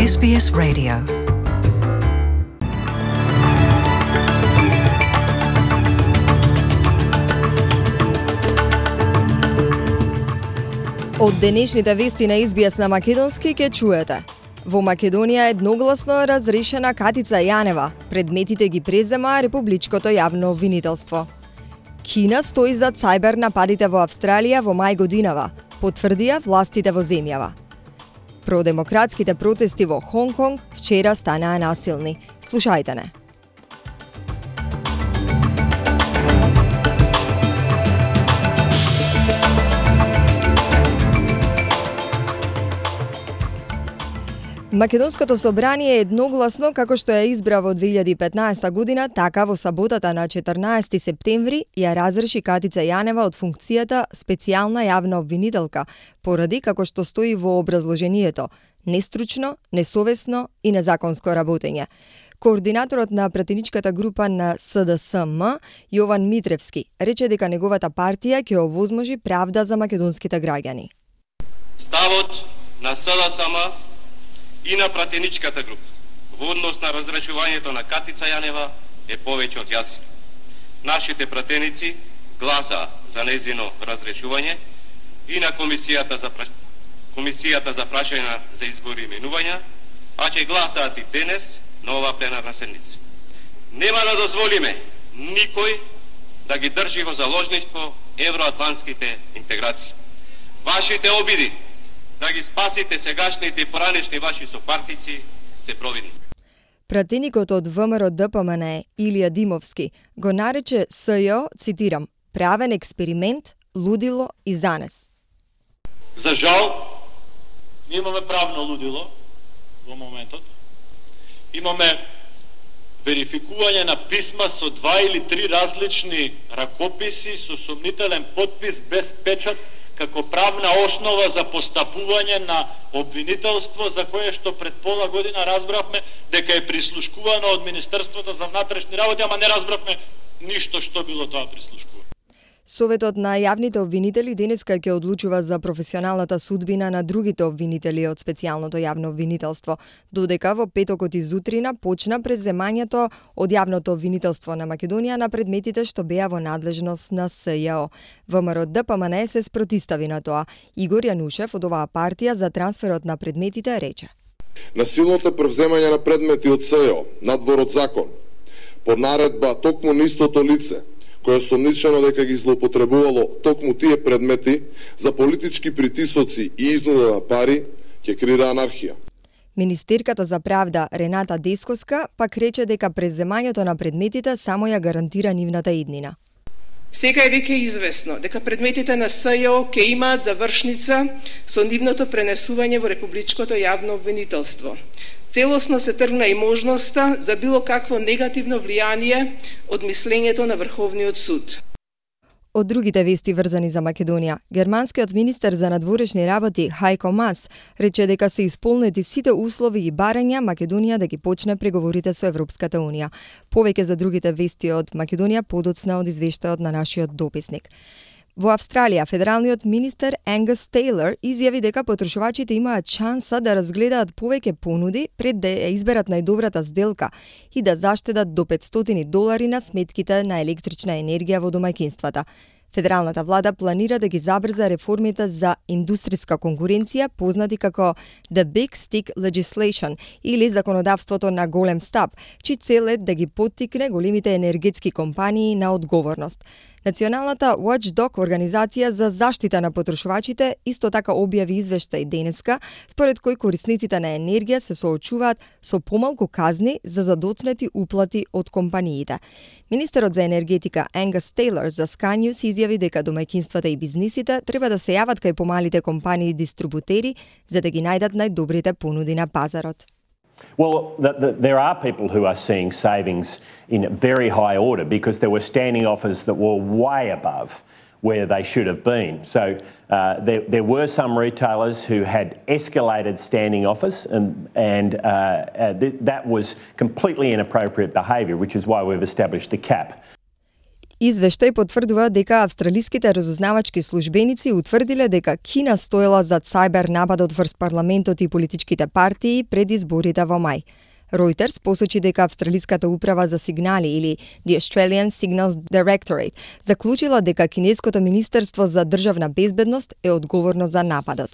SBS Radio. Од денешните вести на SBS на македонски ќе чуете. Во Македонија едногласно разрешена Катица Јанева. Предметите ги презема Републичкото јавно обвинителство. Кина стои зад цајбер нападите во Австралија во мај годинава, потврдија властите во земјава. Продемократските протести во Хонг Конг вчера станаа насилни. Слушајте не. Македонското собрание е едногласно како што ја избра во 2015 година, така во саботата на 14 септември ја разреши Катица Јанева од функцијата специјална јавна обвинителка, поради како што стои во образложението, нестручно, несовесно и незаконско работење. Координаторот на пратеничката група на СДСМ, Јован Митревски, рече дека неговата партија ќе овозможи правда за македонските граѓани. Ставот на СДСМ и на пратеничката група во однос на разрешувањето на Катица Јанева е повеќе од јасен. Нашите пратеници гласа за нејзино разрешување и на комисијата за прашања за избори и именувања, а ќе гласаат и денес на оваа пленарна седница. Нема да дозволиме никој да ги држи во заложништво евроатлантските интеграции. Вашите обиди да ги спасите сегашните и поранешни ваши сопартици се провидни. Пратеникот од ВМРО ДПМН Илија Димовски го нарече СЈО, цитирам, правен експеримент, лудило и занес. За жал, ние имаме правно лудило во моментот. Имаме верификување на писма со 2 или 3 различни ракописи со сомнителен потпис без печат како правна основа за постапување на обвинителство за кое што пред пола година разбравме дека е прислушкувано од Министерството за внатрешни работи, ама не разбравме ништо што било тоа прислушкувано. Советот на јавните обвинители денеска ќе одлучува за професионалната судбина на другите обвинители од специјалното јавно обвинителство, додека во петокот изутрина почна преземањето од јавното обвинителство на Македонија на предметите што беа во надлежност на СЈО. ВМРО ДПМН се спротистави на тоа. Игор Јанушев од оваа партија за трансферот на предметите рече: Насилното превземање на предмети од СЈО надвор од закон, под наредба токму на истото лице, кој е сомничено дека ги злоупотребувало токму тие предмети за политички притисоци и изнуда на пари, ќе креира анархија. Министерката за правда Рената Десковска пак рече дека преземањето на предметите само ја гарантира нивната иднина. Сега е веќе известно дека предметите на СЈО ќе имаат завршница со нивното пренесување во Републичкото јавно обвинителство. Целосно се тргна и можноста за било какво негативно влијание од мислењето на Врховниот суд. Од другите вести врзани за Македонија, германскиот министер за надворешни работи Хајко Мас рече дека се исполнети сите услови и барања Македонија да ги почне преговорите со Европската унија. Повеќе за другите вести од Македонија подоцна од извештајот на нашиот дописник. Во Австралија, федералниот министер Ангус Тейлор изјави дека потрошувачите имаат шанса да разгледаат повеќе понуди пред да ја изберат најдобрата сделка и да заштедат до $500 на сметките на електрична енергија во домаќинствата. Федералната влада планира да ги забрза реформите за индустријска конкуренција, познати како The Big Stick Legislation или законодавството на голем стап, чиј цел е да ги поттикне големите енергетски компании на одговорност. Националната Watchdog организација за заштита на потрошувачите исто така објави извештај денеска, според кој корисниците на енергија се соочуваат со помалку казни за задоцнети уплати од компаниите. Министерот за енергетика Ангус Тейлор за Sky News изјави дека домаќинствата и бизнисите треба да се јават кај помалите компании дистрибутери за да ги најдат најдобрите понуди на пазарот. Well, there are people who are seeing savings in very high order because there were standing offers that were way above where they should have been. So there were some retailers who had escalated standing offers and that was completely inappropriate behaviour, which is why we've established a cap. Извештај потврдува дека австралиските разузнавачки службеници утврдиле дека Кина стоела зад сајбер нападот врз парламентот и политичките партии пред изборите во мај. Reuters посочи дека Австралиската управа за сигнали или The Australian Signals Directorate заклучила дека кинеското Министерство за државна безбедност е одговорно за нападот.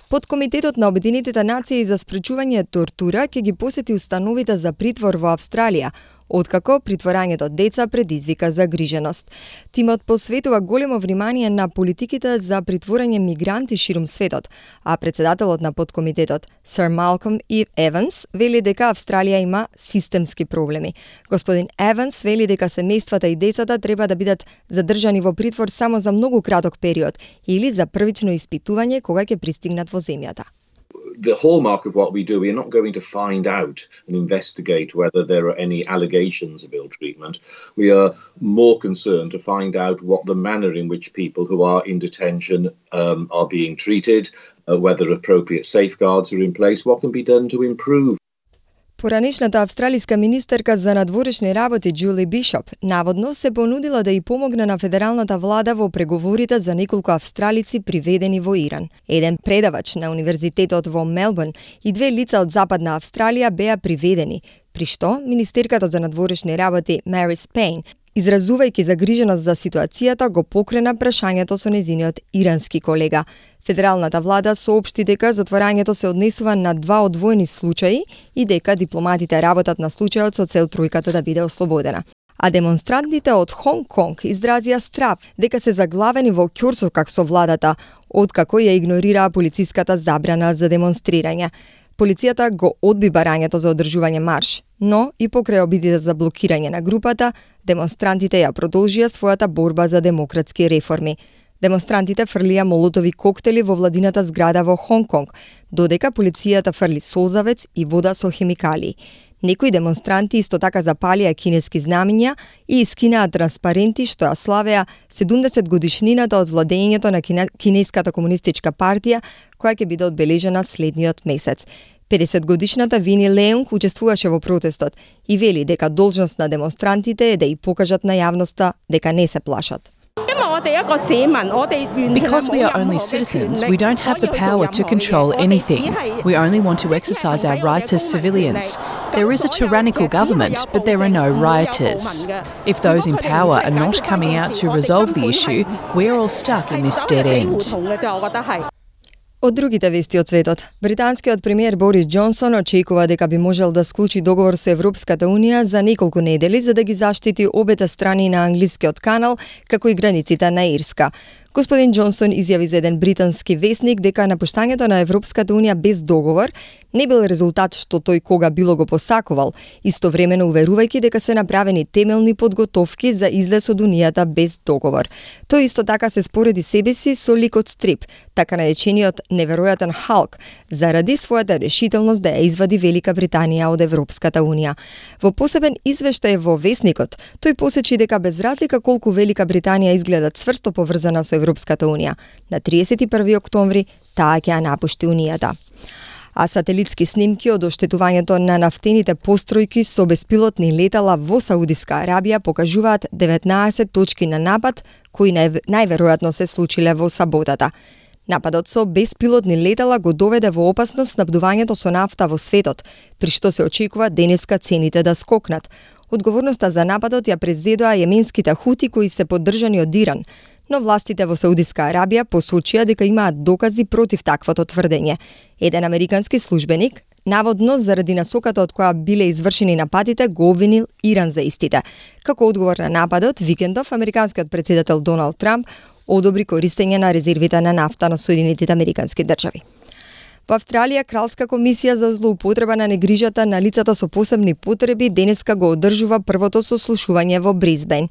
Подкомитетот на Обединетите нации за спречување тортура ќе ги посети установите за притвор во Австралија, откако притворањето деца предизвика загриженост. Тимот посветува големо внимание на политиките за притворање мигранти ширум светот, а председателот на подкомитетот, Сир Малком И. Еванс, вели дека Австралија има системски проблеми. Господин Еванс вели дека семејствата и децата треба да бидат задржани во притвор само за многу краток период или за првично испитување кога ќе пристигнат во земјата. The hallmark of what we do, we are not going to find out and investigate whether there are any allegations of ill treatment. We are more concerned to find out what the manner in which people who are in detention are being treated, whether appropriate safeguards are in place, what can be done to improve. Поранешната австралиска министерка за надворешни работи Джули Бишоп наводно се понудила да и помогне на федералната влада во преговорите за неколку австралици приведени во Иран. Еден предавач на универзитетот во Мелбурн и две лица од Западна Австралија беа приведени, при што министерката за надворешни работи Марис Пейн, изразувајќи загриженост за ситуацијата, го покрена прашањето со нејзиниот ирански колега. Федералната влада соопшти дека затворањето се однесува на два одвоени случаи и дека дипломатите работат на случајот со цел тројката да биде ослободена. А демонстрантите од Хонг Конг изразија страв дека се заглавени во ќорсокак со владата, откако ја игнорираа полициската забрана за демонстрирање. Полицијата го одби барањето за одржување марш, но и покрај обидите за блокирање на групата, демонстрантите ја продолжија својата борба за демократски реформи. Демонстрантите фрлија молотови коктели во владината зграда во Хонг Конг, додека полицијата фрли солзавец и вода со хемикали. Некои демонстранти исто така запалија кинески знамиња и искинаа транспаренти што ја славеа 70 годишнината од владењето на Кинеската комунистичка партија, која ќе биде одбележена следниот месец. 50 годишната Вини Леунг учествуваше во протестот и вели дека должност на демонстрантите е да и покажат на јавноста дека не се плашат. Because we are only citizens, we don't have the power to control anything. We only want to exercise our rights as civilians. There is a tyrannical government, but there are no rioters. If those in power are not coming out to resolve the issue, we're all stuck in this dead end. Од другите вести од светот, британскиот премиер Борис Џонсон очекува дека би можел да склучи договор со Европската Унија за неколку недели за да ги заштити обете страни на англискиот канал, како и границите на Ирска. Господин Џонсон изјави за еден британски весник дека напуштањето на Европската Унија без договор не бил резултат што тој кога било го посакувал, истовремено уверувајќи дека се направени темелни подготовки за излез од Унијата без договор. Тој исто така се спореди себе си со ликот Стрип, така наречениот неверојатен Халк, заради својата решителност да ја извади Велика Британија од Европската Унија. Во посебен извештај во Весникот, тој посечи дека без разлика колку Велика Британија изгледа цврсто поврзана со Европската Унија, на 31 октомври таа ќе ја напушти Унијата. А сателитски снимки од оштетувањето на нафтените постројки со беспилотни летала во Саудиска Арабија покажуваат 19 точки на напад кои најверојатно се случиле во саботата. Нападот со беспилотни летала го доведе во опасност снабдувањето со нафта во светот, при што се очекува денеска цените да скокнат. Одговорноста за нападот ја презедоа јеменските хути кои се поддржани од Иран, но властите во Саудиска Арабија посочија дека имаат докази против таквото тврдење. Еден американски службеник, наводно заради насоката од која биле извршени нападите, го обвинил Иран за истите. Како одговор на нападот, викендов американскиот претседател Доналд Трамп одобри користење на резервите на нафта на Соединетите Американски држави. Во Австралија, Кралска комисија за злоупотреба на негрижата на лицата со посебни потреби денеска го одржува првото сослушување во Брисбен.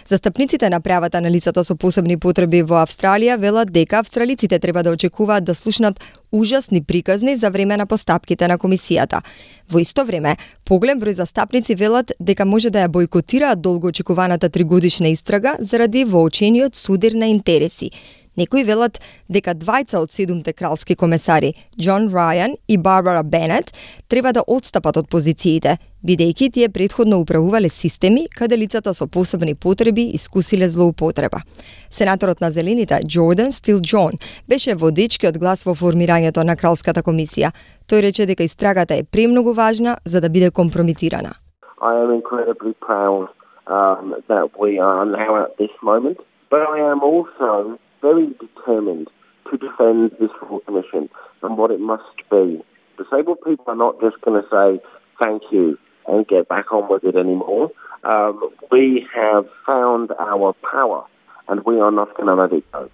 Застапниците на правата на лицата со посебни потреби во Австралија велат дека австралиците треба да очекуваат да слушнат ужасни приказни за време на постапките на комисијата. Во исто време, поголем број застапници велат дека може да ја бојкотираат долго очекуваната 3-годишна истрага заради воочениот судир на интереси. Некои велат дека двајца од 7 кралски комесари, Џон Рајан и Барбара Бенет, треба да отстапат од позициите, бидејќи тие претходно управувале системи каде лицата со посебни потреби искусиле злоупотреба. Сенаторот на Зелените, Джордан Стил Джон, беше водечкиот глас во формирањето на Кралската комисија. Тој рече дека истрагата е премногу важна за да биде компромитирана. I am incredibly proud that we are now at this moment, but I am also very determined to defend this full commission and what it must be. Disabled people are not just going to say thank you and get back on with it anymore. We have found our power and we are not going to let it go.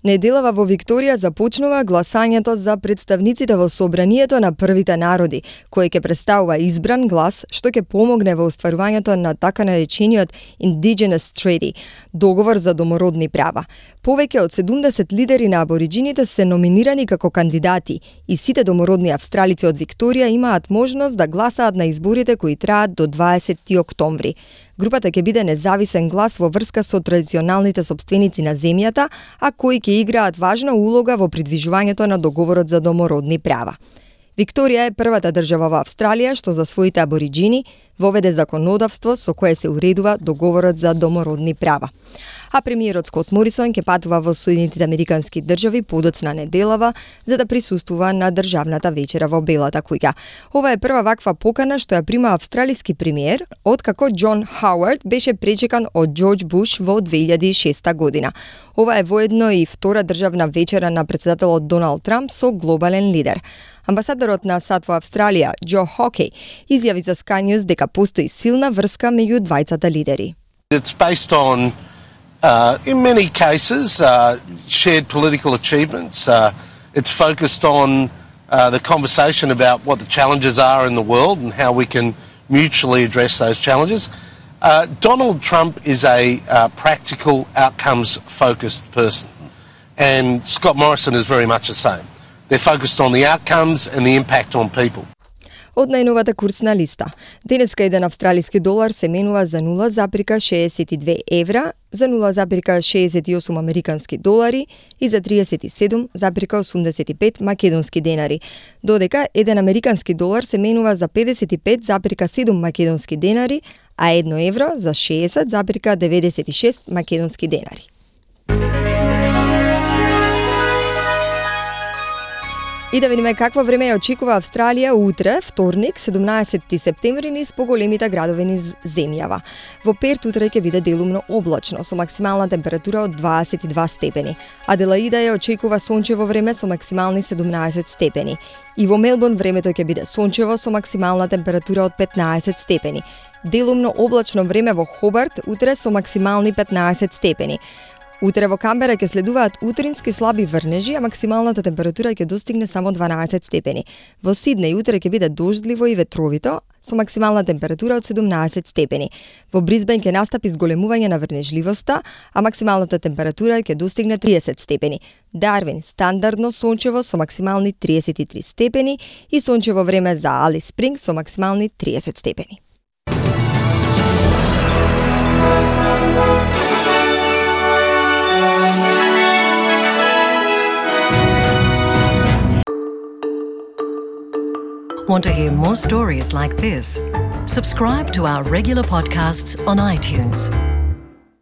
Неделава во Викторија започнува гласањето за представниците во собранието на првите народи, кој ќе представува избран глас што ќе помогне во остварувањето на така наречениот Indigenous Treaty, договор за домородни права. Повеќе од 70 лидери на абориџините се номинирани како кандидати и сите домородни австралици од Викторија имаат можност да гласаат на изборите кои траат до 20 октомври. Групата ќе биде независен глас во врска со традиционалните сопственици на земјата, а кои ќе играат важна улога во придвижувањето на договорот за домородни права. Викторија е првата држава во Австралија што за своите абориџини воведе законодавство со кое се уредува договорот за домородни права. А премиерот Скот Морисон ќе патува во Соединетите Американски држави подоцна неделава за да присуствува на државната вечера во Белата куќа. Ова е прва ваква покана што ја прима австралиски премиер откако Џон Хауард беше пречекан од Џорџ Буш во 2006 година. Ова е воедно и втора државна вечера на претседателот Доналд Трамп со глобален лидер. Амбасадорот на САД во Австралија, Џо Хокей, изјави за Sky News дека постои силна врска меѓу двајцата лидери. It's based on, in many cases, shared political achievements. It's focused on the conversation about what the challenges are in the world and how we can mutually address those challenges. Donald Trump is a practical, outcomes-focused person, and Scott Morrison is very much the same. They're focused on the outcomes and the impact on people. Од најновата курсна листа. Денеска еден австралиски долар се менува за 0,62 евра, за 0,68 американски долари и за 37,85 македонски денари, додека еден американски долар се менува за 55,7 македонски денари, а 1 евро за 60,96 македонски денари. И да видиме какво време ја очекува Австралија утре, вторник, 17 септември, низ поголемите градови низ земјава. Во Перт утре ќе биде делумно облачно, со максимална температура од 22 степени. Аделаида ја очекува сончево време со максимални 17 степени. И во Мелбурн времето ќе биде сончево со максимална температура од 15 степени. Делумно облачно време во Хобарт утре со максимални 15 степени. Утре во Камбера ќе следуваат утрински слаби врнежи, а максималната температура ќе достигне само 12 степени. Во Сиднеј утре ќе биде дождливо и ветровито, со максимална температура од 17 степени. Во Брисбен ќе настапи зголемување на врнежливоста, а максималната температура ќе достигне 30 степени. Дарвин стандардно сончево со максимални 33 степени и сончево време за Алис Спринг со максимални 30 степени. Want to hear more stories like this? Subscribe to our regular podcasts on iTunes.